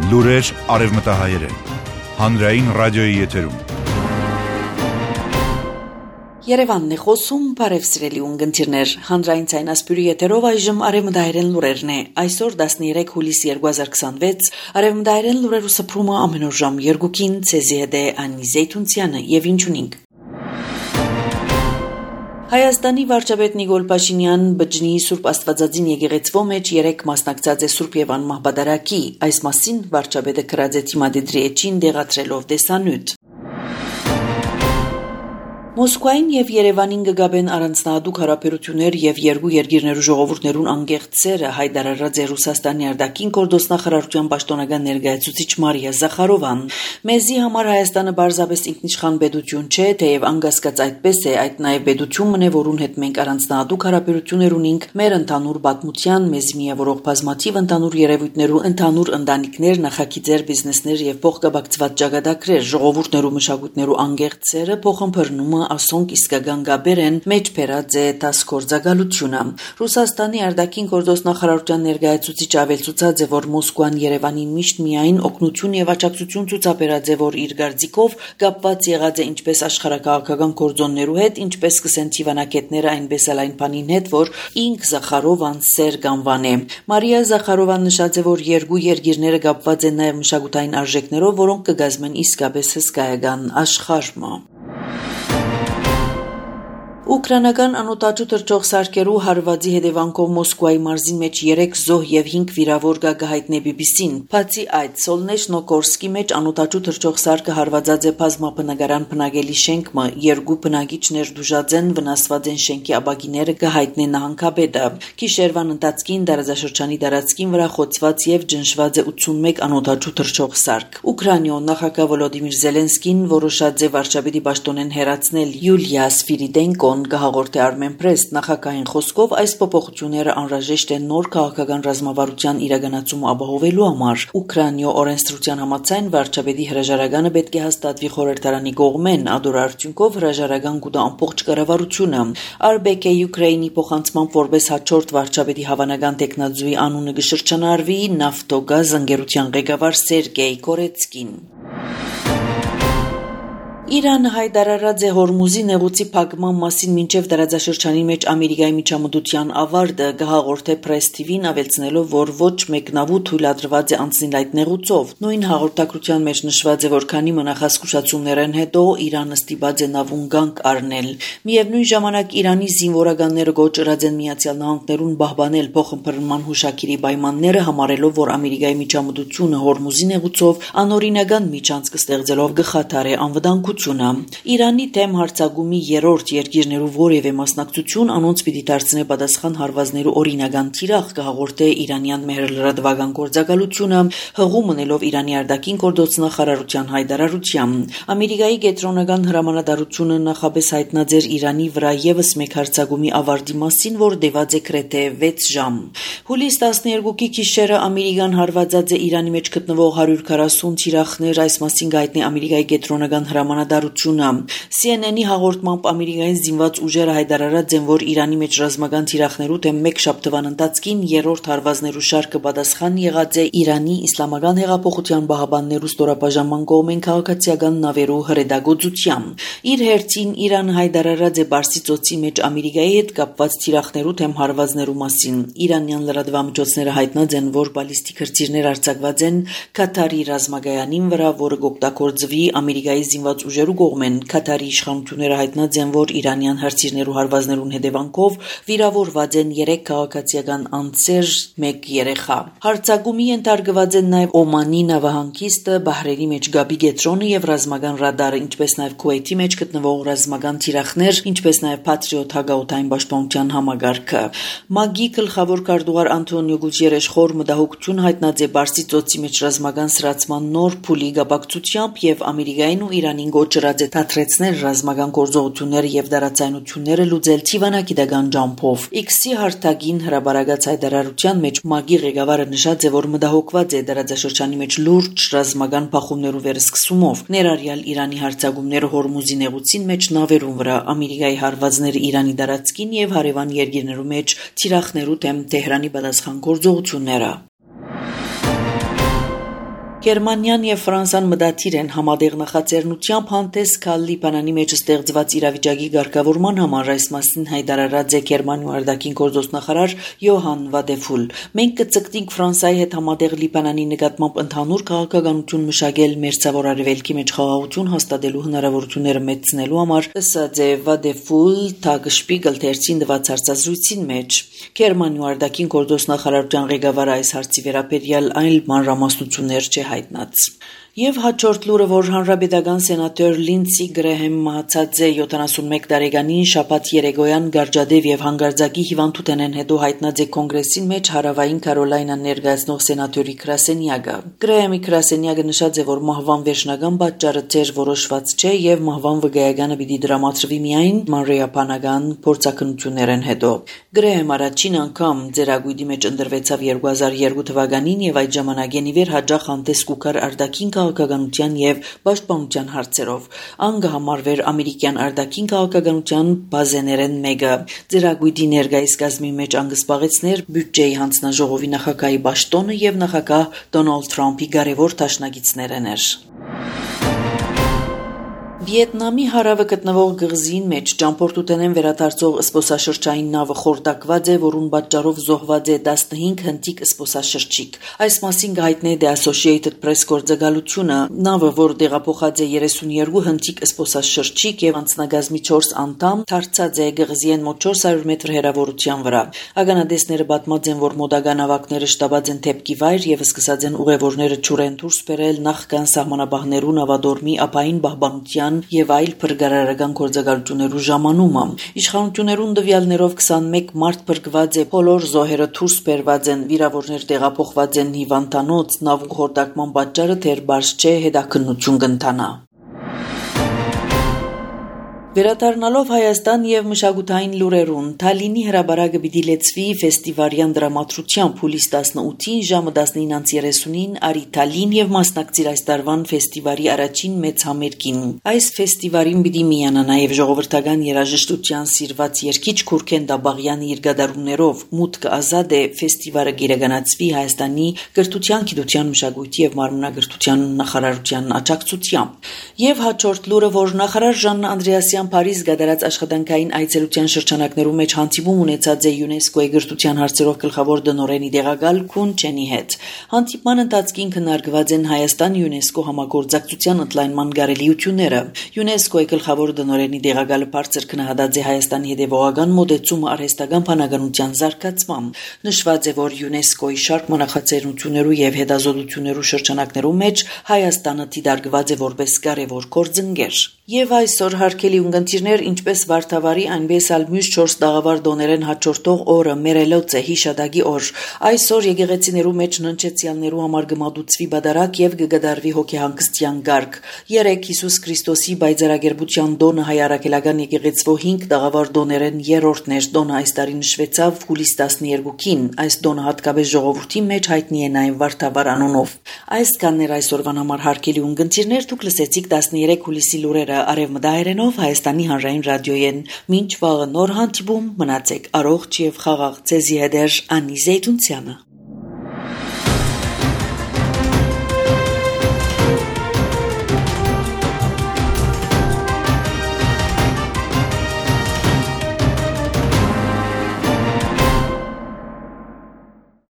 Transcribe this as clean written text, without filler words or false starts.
Լուրեր արևմտահայերեն, հանրային ռադիոյի եթերում։ Երևանն է խոսում, բարև սիրելի ունգընտիրներ, հանրային ցայնասպյուրի եթերով այժմ արևմտահայերեն լուրերն է, այսօր 13 հուլիս 2026, արևմտահայերեն լուրերու սփռումը ամեն օր ժամ 2-ին, ցեզի հետ է Անի Զեյթունցյանը եւ ինչ ունենք։ Հայաստանի վարչապետ Նիկոլ Փաշինյան բջնի Սուրբ Աստվածածին եկեղեցվո մեջ 3 մասնակցած է Սուրբ Եվան մահբադարակի, այս մասին վարչապետը կրած է թիմադեդրի էջին դեղացրելով դեսանյութ։ Մոսկվային եւ Երևանին գգաբեն առանձնահատուկ հարաբերություններ եւ երկու երկիրներու ժողովուրդներուն անգեղծ սերը հայտարարած է Ռուսաստանի արտաքին գործնախարարության պաշտոնական ներկայացուցիչ Մարիա Զախարովան։ Մեզի համար Հայաստանը բարձրապես ինքնիշխան պետություն չէ, թեև անկասկած այդպես է, այդ նաեւ պետությունն է, որուն հետ մենք առանձնահատուկ հարաբերություններ ունենք մեր ընդհանուր պատմության, մեզ միավորող բազմաթիվ ընդհանուր երևույթներու, ընդհանուր ընտանիքներ, նախագիծեր, բիզնեսներ եւ փոխկապակցված ճակատագրեր, ժողովուրդներու մշակույթներու անգեղծ սերը փոխըմբռնումը ասոնք իսկական գաբեր են մեջ բերած է տասկորձագալությունը։ Ռուսաստանի արտաքին գործնախարարության ներկայացուցիչ ավելցուցած է, որ Մոսկվան Երևանին միշտ միայն օգնություն եւ աջակցություն ցուցաբերած է, որ իր գարձիկով կապված եղած է ինչպես աշխարհակաղակական գործոններու հետ, ինչպես կսեն թիվանակետները, այնպես էլ այն բանին հետ, որ ինք Զախարովան սեր կանվան է։ Մարիա Զախարովան նշած է, որ երկու երկիրները կապված են նաեւ մշակութային արժեքներով, որոնք կգազմեն իսկապես հսկայական աշխարհը։ Ուկրաինական անօտաչու թռչող սարքերու հարվածի հետևանքով Մոսկվայի մարզին մեջ 3 զոհ եւ 5 վիրավոր գահիտնե BBC-ն։ Բացի այդ, Սոլնեշնոգորսկի մեջ անօտաչու թռչող սարքը հարվածած է բազմաբնակարան բնակելի շենքը, երկու բնակիչներ դուժած են, վնասված են շենքի ապակիները գահիտնե նահանգապետը։ Գիշերվան ընթացքին տարածաշրջանի տարածքին վրա խոցված եւ ջնշված է 81 անօտաչու թռչող սարք։ Ուկրաինայ նախագահ Վոլոդիմիր Զելենսկին որոշած է վարչապետի պաշտոնեն հերացնել Յուլիա Սվիրիդենկոն գահաղորդե Armen Press նախագահային խոսքով այս փոփոխությունները անհրաժեշտ են նոր քաղաքական ռազմավարության իրականացումը ապահովելու համար։ Ուկրաինայ օրենսդրության համաձայն վարչապետի հրաժարականը պետք է հաստատվի խորհրդարանի կողմեն, ադոր արդյունքով հրաժարական կուտա ամբողջ կառավարությունը։ RBK Ukraine-ի փոխանցման որպես հաջորդ վարչապետի հավանական տեխնազույի անունը կշրջանառվի Նավտոգազ ընկերության ղեկավար Սերգեյ Կորեցկին։ Իրանը հայտարարած է Հորմուզի նեղուցի փակման մասին մինչև տարածաշրջանի մեջ Ամերիկայի միջամտության ավարտը, գահաղորդե Press TV-ն ավելցնելով, որ ոչ մեկնավու թույլատրված է անցնել այդ նեղուցով։ Նույն հաղորդակցության մեջ նշված է, որ քանի մնախասկուշացումներն հետո Իրանը ստիպած է նավուն գանք առնել։ Միևնույն ժամանակ Իրանի զինվորականները գոչրած են Միացյալ Նահանգներուն պահպանել փոխըմբռնման հուշագիրի պայմանները, համարելով, որ Ամերիկայի միջամտությունը Հորմուզի նեղուցով անօրինական միջանցք ստեղծելով գխաթար է անվտանգություն։ Իրանի դեմ հարձակումի երրորդ երկիրներու որևէ մասնակցություն անոնց պիտի դարձնե պատասխան հարվածներու օրինական թիրախ կհաղորդե Իրանյան մեհրլրատվական գործակալությունը, հղում ունելով Իրանի արտաքին գործնախարարության հայտարարությամբ։ Ամերիկայի կենտրոնական հրամանատարությունը նախապես հայտնած էր Իրանի վրա եւս մեկ հարձակումի ավարտի մասին, որ տևած է գրեթե 6 ժամ։ Հուլիս 12-ի գիշերը Ամերիկան հարվածած է Իրանի մեջ գտնվող 140 թիրախներ, այս մասին գայտնի Ամերիկայի կենտրոնական հրամանատարությունը։ CNN-ի հաղորդմամբ Ամերիկայի զինված ուժերը հայտարարած են, որ Իրանի մեջ ռազմական թիրախներու դեմ մեկ շաբթվան ընթացքին երրորդ հարվածներու շարքը պատասխան եղած է Իրանի Իսլամական հեղափոխության պահապաններու ստորաբաժանման կողմեն քաղաքացիական նավերու հրետակոծությամբ։ Իր հերթին Իրանը հայտարարած է Պարսից ծոցի մեջ Ամերիկայի հետ կապված թիրախներու դեմ հարվածներու մասին։ Իրանյան լրատվամիջոցները հայտնած են, որ բալիստիկ հրթիռներ արձակված են Կատարի ռազմագայանին վրա, որը կօգտագործվի Ամերիկայի զինված ուժերու կողմեն։ Կատարի իշխանությունները հայտնած են, որ իրանյան հրթիռներու հարվածներուն հետևանքով վիրավորված են 3 քաղաքացիական անձեր, 1 երեխա։ Հարձակումի ենթարկված են նաև Օմանի նավահանգիստը, Բահրեյնի մեջ Գաբի գետրոնը եւ ռազմական ռադարը, ինչպես նաև Քուվեյթի մեջ գտնվող ռազմական թիրախներ, ինչպես նաև Patriot հագաուտային պաշտպանության համագարքը։ ՄԱԳ-ի գլխավոր քարտուղար Անտոնիո Գուտիերեշ խոր մտահոգություն հայտնած է Պարսից ծոցի մեջ ռազմական սրացման նոր փուլի գաբակցությամբ եւ Ամերիկային ու Իրանին գոչրած է թատրեցնել ռազմական գործողությունները եւ դարացայնությունները լուծել թիվանագիտական ջամփով։ X-ի հարթակին հրաբարացած հայտարարության մեջ ՄԱԳ-ի ղեկավարը նշած է, որ մտահոգված է դարաձաշրջանի մեջ լուրջ ռազմական փախումներու վերսկսումով, ներառյալ Իրանի հարձակումները Հորմուզի նեղուցին մեջ նավերուն վրա, Ամերիկայի հարվածները Իրանի տարածքին եւ հարևան երկիրներու մեջ թիրախներու դեմ Թեհրանի պատասխան գործողությունները։ Գերմանիան եւ Ֆրանսան մտադիր են համատեղ նախաձեռնությամբ հանդես գալ Լիբանանի մեջ ստեղծված իրավիճակի ղեկավարման համար, այս մասին հայտարարած է Գերմանիայի արտաքին գործոստ նախարար Յոհան Վադեֆուլ։ Մենք կցկտենք Ֆրանսիայի հետ համատեղ Լիբանանի նկատմամբ ընդհանուր քաղաքականություն մշակել մերձավոր արևելքի մեջ խաղաղություն հաստատելու հնարավորությունները մեծնելու համար, ըստ Վադեֆուլ Թագշպիգլ թերթին տված հարցազրույցին մեջ։ Գերմանիայի արտաքին գործոստ նախարարության ղեկավարը այս հարցի վերաբերյալ այլ մանրամասնություններ չի հայտնած։ Եվ հաջորդ լուրը, որ հանրապետական սենատոր Լինցի Գրեհեմ մահացած է 71 տարեկանին շաբաթ երեկոյան Գարջադեվ եւ հանգարձակի հիվանդութենեն հետո հայտնած է կոնգրեսին մեջ Հարավային Կարոլայնան ներկայացնող սենատորի գրասենյակը։ Գրեհեմի գրասենյակը նշած է, որ մահվան վերջնական պատճառը դեռ որոշված չէ եւ մահվան վկայականը պիտի դրամատրվի միայն մանրէաբանական փորձակնություններն հետո։ Գրեհեմ առաջին անգամ ձերագույդի մեջ ընտրվեցավ 2002 թվականին եւ այդ ժամանակին ի վեր հաջող հանդես կուքար արտաքին քաղաքականության եւ պաշտպանության հարցերով։ Անգ համարվեր ամերիկյան արտաքին քաղաքականության բազեներեն մեկը։ Ձերագույդի ներկայիս կազմի մեջ անգսպաղեցներ բյուջեի հանձնաժողովի նախագահի պաշտոնը եւ նախագահ Դոնալդ Թրամփի կարևոր դաշնակիցներն էր։ Վիետնամի հարավը գտնվող գղզին մեջ ճամփորդութենեն վերադարձող զբոսաշրջային նավը խորտակված է, որուն պատճառով զոհված է 15 հնդիկ զբոսաշրջիկ։ Այս մասին հայտնել է The Associated Press գործակալությունը։ Նավը, որ տեղափոխած է 32 հնդիկ զբոսաշրջիկ եւ անձնագազմի 4 անդամ, դարձած է գղզիեն մոտ 400 մետր հեռավորության վրա։ Ականադեսները պատմած են, որ մոդագա նավակները շտաբած են դեպքի վայր եւ սկսած են ուղևորները ճուրեն դուրս բերել նախքան սահմանապահներու նավադորմի ապային պահպանության եւ այլ փրկարարական գործակալություններու ժամանումը։ Իշխանություններուն տվյալներով 21 մարդ փրկված է, բոլոր զոհերը դուրս բերված են, վիրավորներ տեղափոխված են հիվանդանոց, նավու խորտակման պատճառը դեռ բարձ չէ, հետաքննություն կընթանա։ Վերադառնալով Հայաստան եւ մշակութային լուրերուն, Թալինի հրաբարակը պիտի լեցվի ֆեստիվալյան դրամատրությամբ հուլիս 18-ին ժամը 19:30-ին արի Թալին եւ մասնակցիր այս տարվան ֆեստիվալի առաջին մեծ համերգին։ Այս ֆեստիվալին պիտի միանա նաեւ ժողովրդական երաժշտության սիրված երգիչ Քուրքեն Դաբաղյանի իր գդարումներով։ Մուտքը ազատ է, ֆեստիվալը գերեգանացվի Հայաստանի կրթության, գիտության, մշակույթի եւ մարմնագրթության նախարարության աջակցությամբ։ Եվ հաջորդ լուրը, որ նախարար Ժաննա Անդրեասյան Փարիզ գդարած աշխատանքային այցելության շրջանակներու մեջ հանդիպում ունեցած է ՅՈՒՆԵՍԿՕ-ի գրթության հարցերով գլխավոր դնորենի տեղակալ Քուն Չենի հետ։ Հանդիպման ընթացքին քննարկված են Հայաստան ՅՈՒՆԵՍԿՕ համագործակցության ընդլայնման կարելիությունները։ ՅՈՒՆԵՍԿՕ-ի գլխավոր դնորենի տեղակալը բարձր քննադատած է Հայաստանի հետևողական մոդեցումը արհեստական բանականության զարգացմամբ։ Նշված է, որ ՅՈՒՆԵՍԿՕ-ի շարք մնախացերություններու եւ հետազոտություններու շրջանակներու մեջ Հայաստանը դիտարկված է որպես կարևոր գործընկեր։ Եվ այսօր հարգելի ունգընտիրներ, ինչպես Վարդավառի, այնպես էլ մյուս 4 տաղավար դոներեն հաջորդող օրը Մերելոց է հիշադակի օր։ Այսօր եկեղեցիներու մեջ ննչեցյալներու համար գմադուցվի բադարակ եւ կգդարվի հոգեհանգստյան գարկ։ 3 Հիսուս Քրիստոսի բայձարագերբության դոնը հայ արաքելական եկեղեցվո 5 տաղավար դոներեն երրորդն էր։ Դոնը այս տարի նշվեցավ հուլիս 12-ին։ Այս դոնը հատկապես ժողովրդի մեջ հայտնի է նաեւ Վարդավառ անունով։ Այս կաններ այսօրվան համար հարգելի ունգընտիրներ, դուք լսեցիք 13 հուլիսի լուրերը արևմտահայերենով Հայաստանի հանրային ռադիոյեն։ Մինչ վաղը նոր հանդիպում, մնացեք առողջ եւ խաղաղ։ Ձեզի հետ Անի Զեյթունցյանը։